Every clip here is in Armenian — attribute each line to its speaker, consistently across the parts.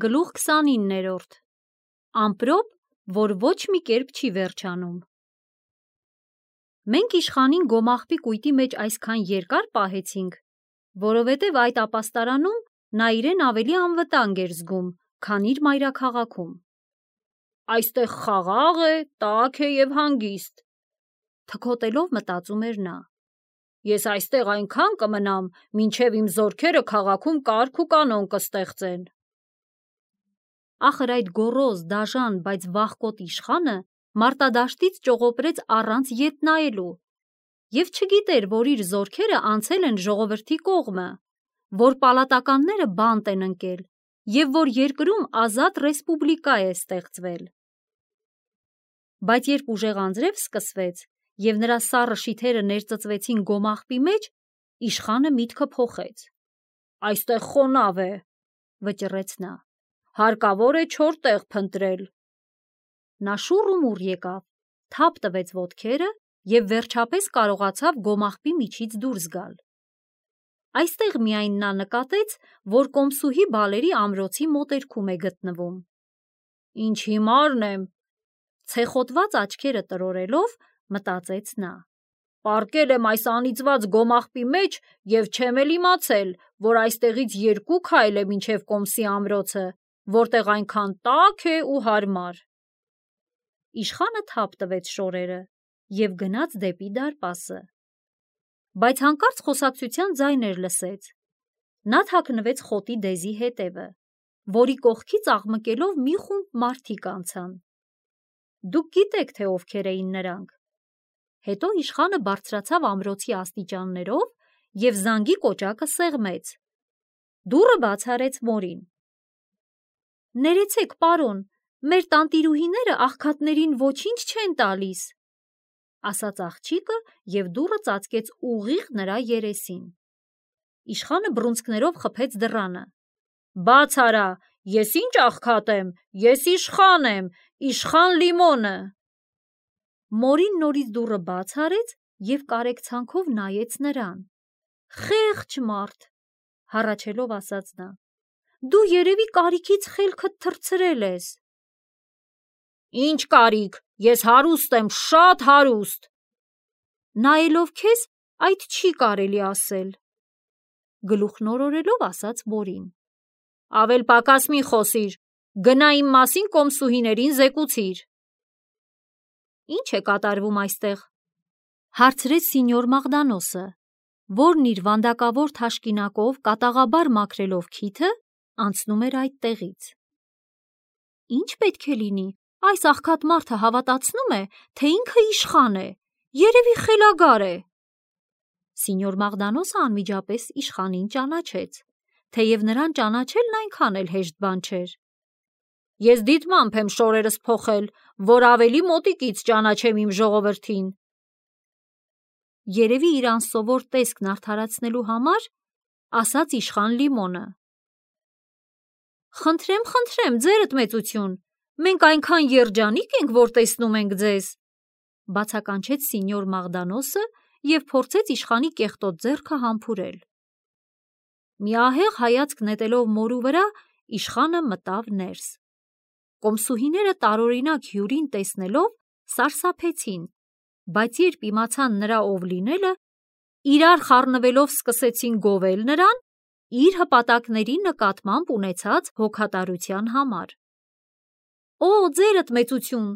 Speaker 1: Գլուխ 29-րդ Ամպրոպ, որ ոչ մի կերպ չի վերջանում։ Մենք իշխանին գոմաղբի կույտի մեջ այսքան երկար պահեցինք, որովհետև այդ ապաստարանում նա իրեն ավելի անվտանգ էր զգում, քան իր մայրաքաղաքում։ Այստեղ խաղաղ է, տաք է և հանգիստ, թքոտելով մտածում էր նա։ Ես այստեղ այնքան կմնամ, մինչև իմ զորքերը քաղաքում կարգ ու կանոն կստեղծեն։ Ախր այդ գոռոզ, դաժան, բայց վախկոտ իշխանը մարտադաշտից ճողոպրեց առանց ետ նայելու և չգիտեր, որ իր զորքերը անցել են ժողովրդի կողմը, որ պալատականները բանտ են ընկել և որ երկրում ազատ ռեսպուբլիկա է ստեղծվել։ Բայց երբ ուժեղ անձրև սկսվեց և նրա սառը շիթերը ներծծվեցին գոմաղբի մեջ, իշխանը միտքը փոխեց։ Այստեղ խոնավ է, վճռեց նա, հարկավոր է չոր տեղ փնտրել։ Նա շուռ ու մուռ եկավ, թափ տվեց ոտքերը և վերջապես կարողացավ գոմաղբի միջից դուրս գալ։ Այստեղ միայն նա նկատեց, որ կոմսուհի բալերի ամրոցի մոտերքում է գտնվում։ Ինչ հիմարն եմ, ցեխոտված աչքերը տրորելով, մտածեց նա։ Պառկել եմ այս անիծված գոմաղբի մեջ և չեմ էլ իմացել, որ այստեղից 2 քայլ է մինչև կոմսի ամրոցը, որտեղ այնքան տաք է ու հարմար։ Իշխանը թափ տվեց շորերը և գնաց դեպի դարպասը։ Բայց հանկարծ խոսակցության ձայներ լսեց։ Նա թաքնվեց խոտի դեզի հետևը, որի կողքից աղմկելով մի խումբ մարդիկ անցան։ Դուք գիտեք, թե ովքեր էին նրանք։ Հետո իշխանը բարձրացավ ամրոցի աստիճաններով և զանգի կոճակը սեղմեց։ Դուռը բաց արեց մորին։ Ներեցեք, պարոն, մեր տանտիրուհիները աղքատներին ոչինչ չեն տալիս, ասաց աղջիկը և դուռը ծածկեց ուղիղ նրա երեսին։ Իշխանը բռունցքներով խփեց դռանը։ Բաց արա, ես ինչ աղքատ եմ, ես իշխան եմ, իշխան Լիմոնը։ Մորին նորից դուռը բաց արեց և կարեկցանքով նայեց նրան։ Խեղճ մարդ, հառաչելով ասաց նա, դու երևի կարիքից խելքդ թռցրել ես։ Ինչ կարիք, ես հարուստ եմ, շատ հարուստ։ Նայելով քեզ, այդ չի կարելի ասել, գլուխ նորորելով ասաց մորին։ Ավել պակաս մի խոսիր, գնա իմ մասին կոմսուհիներին զեկուցիր։ Ինչ է կատարվում այստեղ, հարցրեց սինյոր Մաղդանոսը, որն իր վանդակավոր թաշկինակով կատաղաբար մաքրելով քիթը, անցնում էր այդտեղից։ Ինչ պետք է լինի, այս աղքատ մարդը հավատացնում է, թե ինքը իշխան է, երևի խելագար է։ Սինյոր Մաղդանոսը անմիջապես իշխանին ճանաչեց, թեև նրան ճանաչելն այնքան էլ հեշտ բան չէր։ Ես դիտմամբ եմ շորերս փոխել, որ ավելի մոտիկից ճանաչեմ իմ ժողովրդին։ Երևի իր անսովոր տեսքն արդարացնելու համար, ասաց իշխան Լիմոնը։ Խնդրեմ, ձերդ մեծություն, մենք այնքան երջանիկ ենք, որ տեսնում ենք ձեզ, բացականչեց սինյոր Մաղդանոսը և փորձեց իշխանի կեղտոտ ձեռքը համբուրել։ Մի ահեղ հայացք նետելով մորու վրա, իշխանը մտավ ներս։ Կոմսուհիները տարօրինակ հյուրին տեսնելով սարսափեցին, բայց երբ իմացան նրա ով լինելը, իրար խառնվելով սկսեցին գովել նրան իր հպատակների նկատմամբ ունեցած հոգատարության համար։ Օ, ձերդ մեծություն,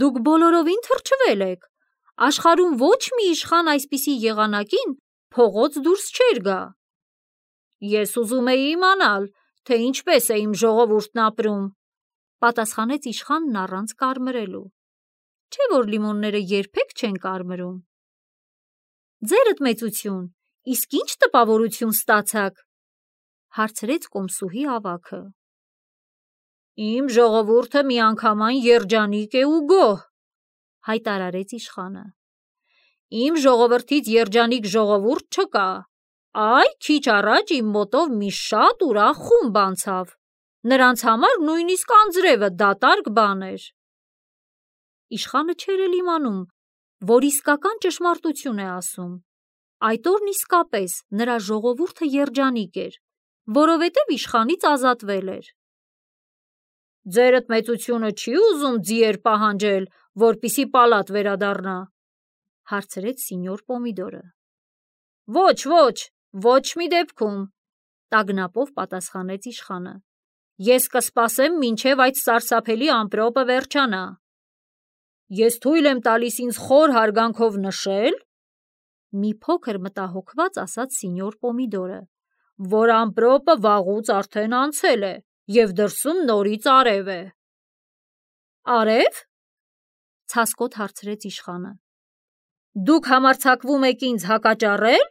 Speaker 1: դուք բոլորովին թրջվել եք, աշխարհում ոչ մի իշխան այսպիսի եղանակին փողոց դուրս չէր գա։ Ես ուզում էի իմանալ, թե ինչպես է իմ ժողովուրդն ապրում, պատասխանեց իշխանն առանց կարմրելու։ Չէ՞ որ լիմոնները երբեք չեն կարմրում։ Ձերդ մեծություն, իսկ ինչ տպավորություն ստացաք, հարցրեց կոմսուհի ավագը։ Իմ ժողովուրդը միանգամայն երջանիկ է ու գոհ, հայտարարեց իշխանը։ Իմ ժողովրդից երջանիկ ժողովուրդ չկա։ Այ քիչ առաջ իմ մոտով մի շատ ուրախ խումբ անցավ։ Նրանց համար նույնիսկ անձրևը դատարկ բան էր։ Իշխանը չէր էլ իմանում, որ իսկական ճշմարտություն է ասում։ Այդ օրն իսկապես նրա ժողովուրդը երջանիկ էր, որովհետև իշխանից ազատվել էր։ Ձերդ մեծությունը չի ուզում ձիեր պահանջել, որպիսի պալատ վերադառնա, հարցրեց սինյոր Պոմիդորը։ Ոչ մի դեպքում, տագնապով պատասխանեց իշխանը։ Ես կսպասեմ, մինչև այդ սարսափելի ամպրոպը վերջանա։ Ես թույլ եմ տալիս ինձ խոր հարգանքով նշել, մի փոքր մտահոգված ասաց սինյոր Պոմիդորը, որ ամպրոպը վաղուց արդեն անցել է և դրսում նորից արև է։ Արև? Ցասկոտ հարցրեց իշխանը։ Դուք համարձակվում եք ինձ հակաճառել։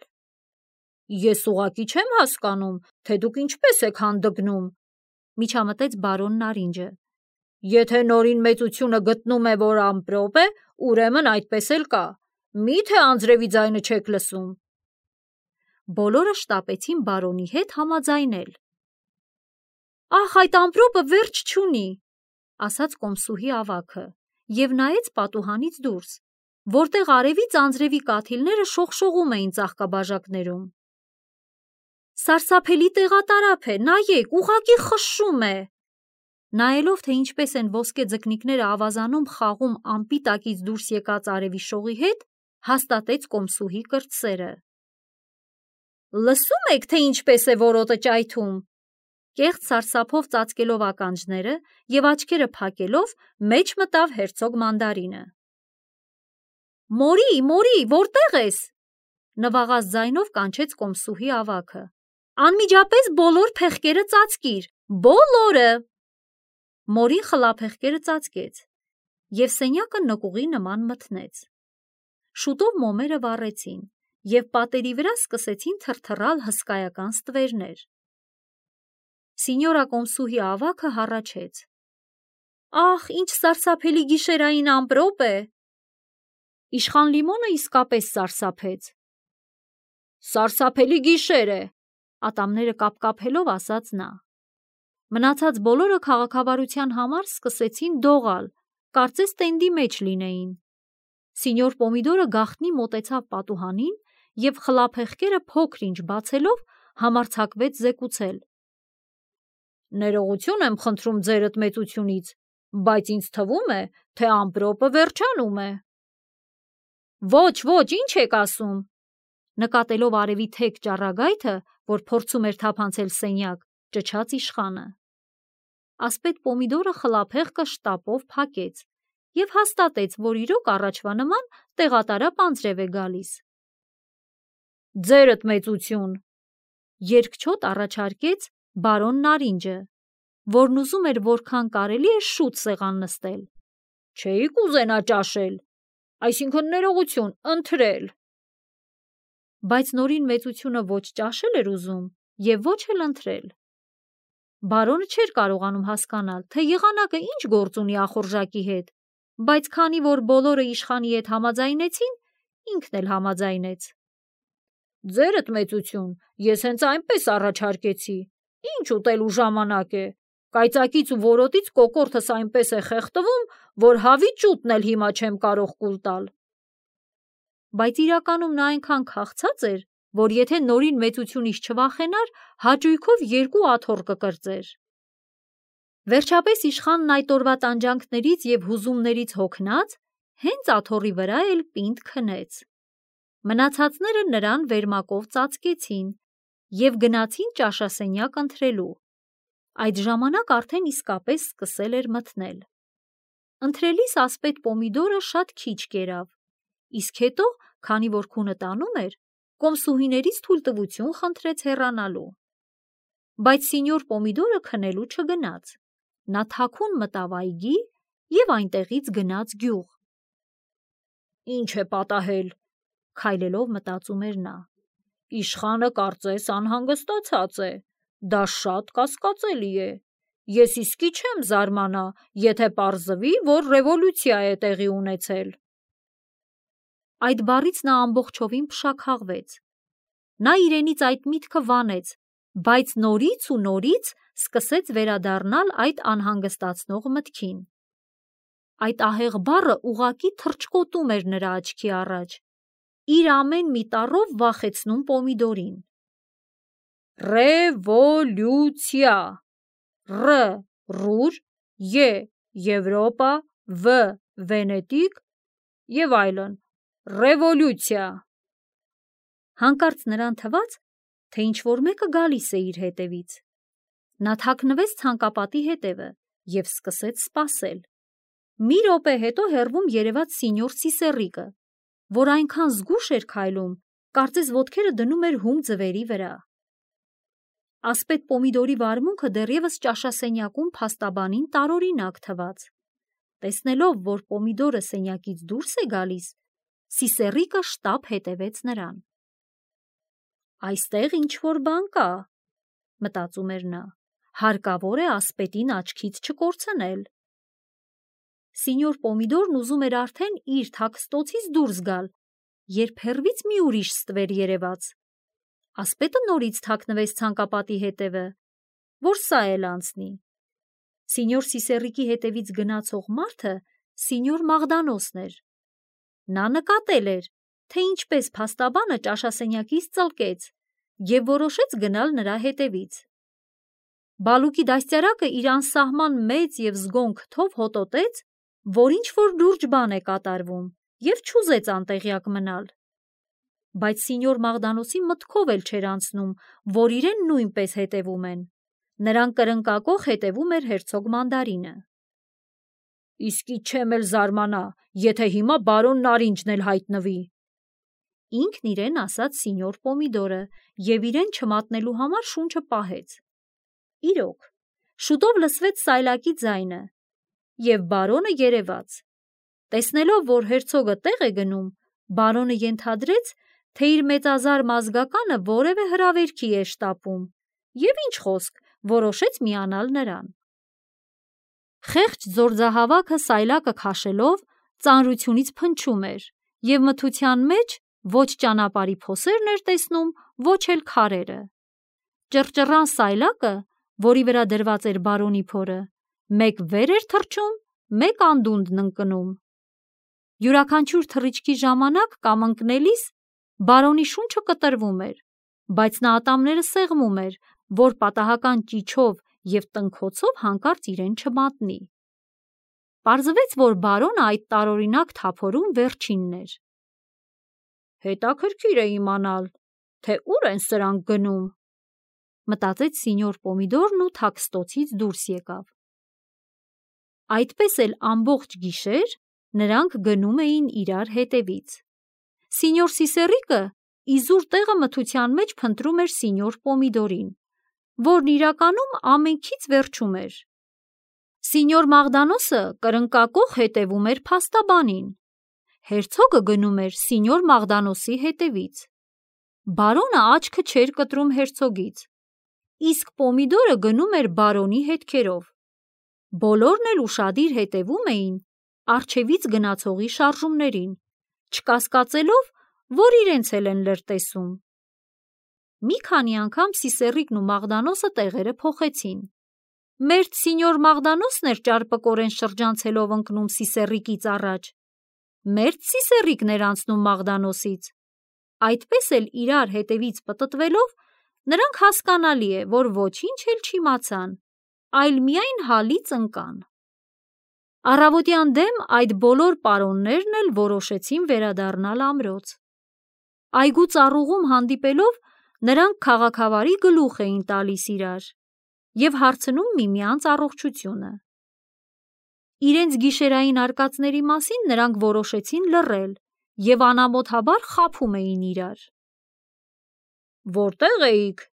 Speaker 1: Ես ուղղակի չեմ հասկանում, թե դուք ինչպես եք հանդգնում, միջամտեց բարոն Նարինջը։ Եթե նորին մեծությունը գտնում է, որ ամպրոպ է, ուրեմն այդպես էլ կա։ Մի՞թե անձրևի ձայնը չեք լսում։ Բոլորը շտապեցին բարոնի հետ համաձայնել։ Ախ, այդ ամպրոպը վերջ չունի, ասաց կոմսուհի ավագը և նայեց պատուհանից դուրս, որտեղ արևից անձրևի կաթիլները շողշողում էին ծաղկաբաժակներում։ Սարսափելի տեղատարափ է, նայեք, ուղղակի խշշում է։ Նայելով, թե ինչպես են ոսկե ձկնիկները ավազանում խաղում ամպի տակից դուրս եկած արևի շողի հետ, հաստատեց կոմսուհի կրտսերը։ Լսում եք, թե ինչպես է որոտը ճայթում։ Կեղծ սարսափով ծածկելով ականջները և աչքերը փակելով, մեջ մտավ հերցոգ Մանդարինը։ Մորի, որտե՞ղ ես, նվաղած ձայնով կանչեց կոմսուհի ավագը։ Անմիջապես բոլոր փեղկերը ծածկիր, բոլորը։ Մորին խլափեղկերը ծածկեց և սենյակը նկուղի նման մթնեց։ Շուտով մոմերը վառեցին և պատերի վրա սկսեցին թրթռալ հսկայական ստվերներ։ Սինյորա կոմսուհի ավագը հառաչեց. Ախ, ինչ սարսափելի գիշերային ամպրոպ է։ Իշխան Լիմոնը իսկապես սարսափեց։ Սարսափելի գիշեր է, ատամները կապկապելով ասաց նա։ Մնացած բոլորը քաղաքավարության համար սկսեցին դողալ, կարծես տենդի մեջ լինեին։ Սինյոր Պոմիդորը գաղտնի մոտեցավ պատուհանին և խլափեղկերը փոքր-ինչ բացելով համարձակվեց զեկուցել. Ներողություն եմ խնդրում ձերդ մեծությունից, բայց ինձ թվում է, թե ամպրոպը վերջանում է։ Ոչ, ինչ եք ասում, նկատելով արևի թեք ճառագայթը, որ փորձում էր թափանցել սենյակ, ճչաց իշխանը։ Ասպետ Պոմիդորը խլափեղկը շտապով փակեց և հաստատեց, որ իրոք առաջվա նման տեղատարափ անձրև է գալիս։ Ձերդ մեծություն, երկչոտ առաջարկեց բարոն Նարինջը, որն ուզում էր որքան կարելի է շուտ սեղան նստել։ Չէի՞ք ուզենա ճաշել, այսինքն ներողություն, ընթրել։ Բայց նորին մեծությունը ոչ ճաշել էր ուզում և ոչ էլ ընթրել։ Բարոնը չէր կարողանում հասկանալ, թե եղանակը ինչ գործ ունի ախորժակի հետ, բայց քանի որ բոլորը իշխանի հետ համաձայնեցին, ինքն էլ համաձայնեց։ Ձերդ մեծություն, ես հենց այնպես առաջարկեցի, ինչ ուտելու ժամանակ է, կայծակից ու որոտից կոկորդս այնպես է խեղդվում, որ հավի ճուտն էլ հիմա չեմ կարող կուլ տալ։ Բայց իրականում նա այնքան քաղցած էր, որ եթե նորին մեծությունից չվախենար, հաճույքով 2 աթոռ կկրծեր։ Վերջապես իշխանն այդ օրվա տանջանքներից և հուզումներից հոգնած, հենց աթոռի վրա էլ պինդ քնեց։ Մնացածները նրան վերմակով ծածկեցին և գնացին ճաշասենյակ ընթրելու։ Այդ ժամանակ արդեն իսկապես սկսել էր մթնել։ Ընթրելիս ասպետ Պոմիդորը շատ քիչ կերավ, իսկ հետո, քանի որ քունը տանում էր, կոմսուհիներից թույլտվություն խնդրեց հեռանալու։ Բայց սինյոր Պոմիդորը քնելու չգնաց։ Նա թաքուն մտավ այգի և այնտեղից գնաց գյուղ։ Ինչ է պատահել, քայլելով մտածում էր նա։ Իշխանը կարծես անհանգստացած է, դա շատ կասկածելի է։ Ես իսկի չեմ զարմանա, եթե պարզվի, որ ռևոլյուցիա է տեղի ունեցել։ Այդ բառից նա ամբողջովին փշաքաղվեց։ Նա իրենից այդ միտքը վանեց, բայց նորից ու նորից սկսեց վերադառնալ այդ անհանգստացնող մտքին։ Այդ ահեղ բառը ուղղակի թռչկոտում էր նրա աչքի առաջ, իր ամեն մի տառով վախեցնում Պոմիդորին։ Ռևոլյուցիա, ռ ռուր, Ե. Եվրոպա, V. Վենետիկ եւ այլն։ Ռևոլյուցիա։ Հանկարծ նրան թվաց, թե ինչ-որ մեկը գալիս է իր հետևից։ Նա թաքնվեց ցանկապատի հետևը եւ սկսեց սպասել։ Մի րոպե հետո հեռվում երևաց սինյոր Սիսեռիկը, որ այնքան զգույշ էր քայլում, կարծես ոտքերը դնում էր հում ձվերի վրա։ Ասպետ Պոմիդորի վարմունքը դեռևս ճաշասենյակում փաստաբանին տարօրինակ թվաց։ Տեսնելով, որ Պոմիդորը սենյակից դուրս է գալիս, Սիսեռիկը շտապ հետևեց նրան։ Այստեղ ինչ-որ բան կա, մտածում էր նա, հարկավոր է ասպետին աչքից չկորցնել։ Սինյոր Պոմիդորն ուզում էր արդեն իր թաքստոցից դուրս գալ, երբ հեռվից մի ուրիշ ստվեր երևաց։ Ասպետը նորից թաքնվեց ցանկապատի հետևը, որ սա էլ անցնի։ Սինյոր Սիսեռիկի հետևից գնացող մարդը սինյոր Մաղդանոսն էր։ Նա նկատել էր, թե ինչպես փաստաբանը ճաշասենյակից ծլկեց և որոշեց գնալ նրա հետևից։ Բալուկի դաստիարակը իր անսահման մեծ և զգոն քթով հոտոտեց, որ ինչ-որ լուրջ բան է կատարվում, և չուզեց անտեղյակ մնալ։ Բայց սինյոր Մաղդանոսի մտքով էլ չէր անցնում, որ իրեն նույնպես հետևում են։ Նրան կրնկակոխ հետևում էր հերցոգ Մանդարինը։ Իսկի չեմ էլ զարմանա, եթե հիմա բարոն Նարինջն էլ հայտնվի, ինքն իրեն ասաց սինյոր Պոմիդորը և իրեն չմատնելու համար շունչը պահեց։ Իրոք, շուտով լսվեց սայլակի ձայնը, և բարոնը երևաց։ Տեսնելով, որ հերցոգը տեղ է գնում, բարոնը ենթադրեց, թե իր մեծազար մազգականը որևէ հրավերքի է շտապում, և ինչ խոսք, որոշեց միանալ նրան։ Խեղճ ձորձահավաքը սայլակը քաշելով ծանրությունից փնչում էր, և մթության մեջ ոչ ճանապարհի փոսերն էր տեսնում, ոչ էլ քարերը։ Ճռճռան սայլակը, որի վրա դրված էր բարոնի փորը, մեկ վեր էր թռչում, մեկ անդունդն ընկնում։ Յուրաքանչյուր թռիչքի ժամանակ կամ ընկնելիս բարոնի շունչը կտրվում էր, բայց նա ատամները սեղմում էր, որ պատահական ճիչով և տնքոցով հանկարծ իրեն չմատնի։ Պարզվեց, որ բարոնը այդ տարօրինակ թափորում վերջինն էր։ Հետաքրքիր է իմանալ, թե ուր են սրանք գնում, մտածեց սինյոր Պոմիդորն ու թաքստոցից դուրս եկավ։ Այդպես էլ ամբողջ գիշեր նրանք գնում էին իրար հետևից։ Սինյոր Սիսեռիկը իզուր տեղը մթության մեջ փնտրում էր սինյոր Պոմիդորին, որն իրականում ամենքից վերջում էր։ Սինյոր Մաղդանոսը կրնկակոխ հետևում էր փաստաբանին։ Հերցոգը գնում էր սինյոր Մաղդանոսի հետևից։ Բարոնը աչքը չէր կտրում հերցոգից, իսկ Պոմիդորը գնում էր բարոնի հետքերով։ Բոլորն էլ ուշադիր հետևում էին առջևից գնացողի շարժումներին, չկասկածելով, որ իրենց էլ են լրտեսում։ Մի քանի անգամ Սիսեռիկն ու Մաղդանոսը տեղերը փոխեցին։ Մերթ սինյոր Մաղդանոսն էր ճարպկորեն շրջանցելով ընկնում Սիսեռիկից առաջ, մերթ Սիսեռիկն էր անցնում Մաղդանոսից։ Այդպես էլ իրար հետևից պտտվելով, նրանք հասկանալի է, որ ոչինչ էլ չիմացան, այլ միայն հալից ընկան։ Առավոտյան դեմ այդ բոլոր պարոններն էլ որոշեցին վերադառնալ ամրոց։ Այգու ծառուղում հանդիպելով, նրանք քաղաքավարի գլուխ էին տալիս իրար և հարցնում միմյանց առողջությունը։ Իրենց գիշերային արկածների մասին նրանք որոշեցին լռել և անամոթաբար խաբում էին իրար։ Որտե՞ղ էիք,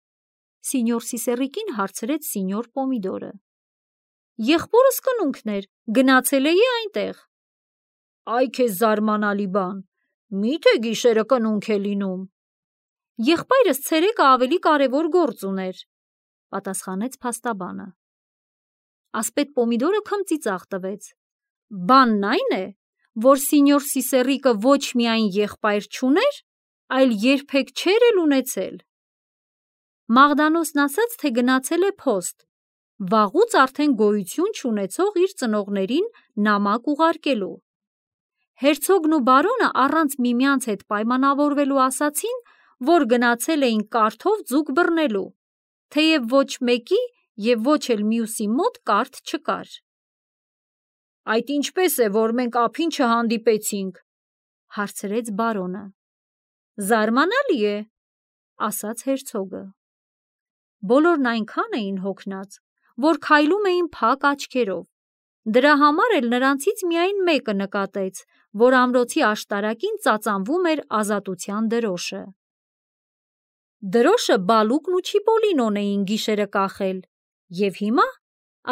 Speaker 1: սինյոր Սիսեռիկին հարցրեց սինյոր Պոմիդորը։ Եղբորս կնունքն էր, գնացել էի այնտեղ։ Այ քեզ զարմանալի բան, մի՞թե գիշերը կնունք է լինում։ Եղբայրս ցերեկը ավելի կարևոր գործ ուներ, պատասխանեց փաստաբանը։ Ասպետ Պոմիդորը քմծիծաղ տվեց։ Բանն այն է, որ սինյոր Սիսեռիկը ոչ միայն եղբայր չուներ, այլ երբեք չէր էլ ունեցել։ Մաղդանոսն ասաց, թե գնացել է փոստ, վաղուց արդեն գոյություն չունեցող իր ծնողներին նամակ ուղարկելու։ Հերցոգն ու բարոնը առանց միմյանց հետ պայմանավորվելու ասացին, որ գնացել էին կարթով ձուկ բռնելու, թեև ոչ մեկի և ոչ էլ մյուսի մոտ կարթ չկար։ Այդ ինչպես է, որ մենք ափին չհանդիպեցինք, հարցրեց բարոնը։ Զարմանալի է, ասաց հերցոգը։ Բոլորն այնքան էին հոգնած, որ քայլում էին փակ աչքերով։ Դրա համար էլ նրանցից միայն մեկը նկատեց, որ ամրոցի աշտարակին ծածանվում էր ազատության դրոշը։ Դրոշը Բալուկն ու Չիպոլինոն էին գիշերը կախել, և հիմա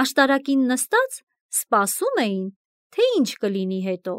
Speaker 1: աշտարակին նստած սպասում էին, թե ինչ կլինի հետո։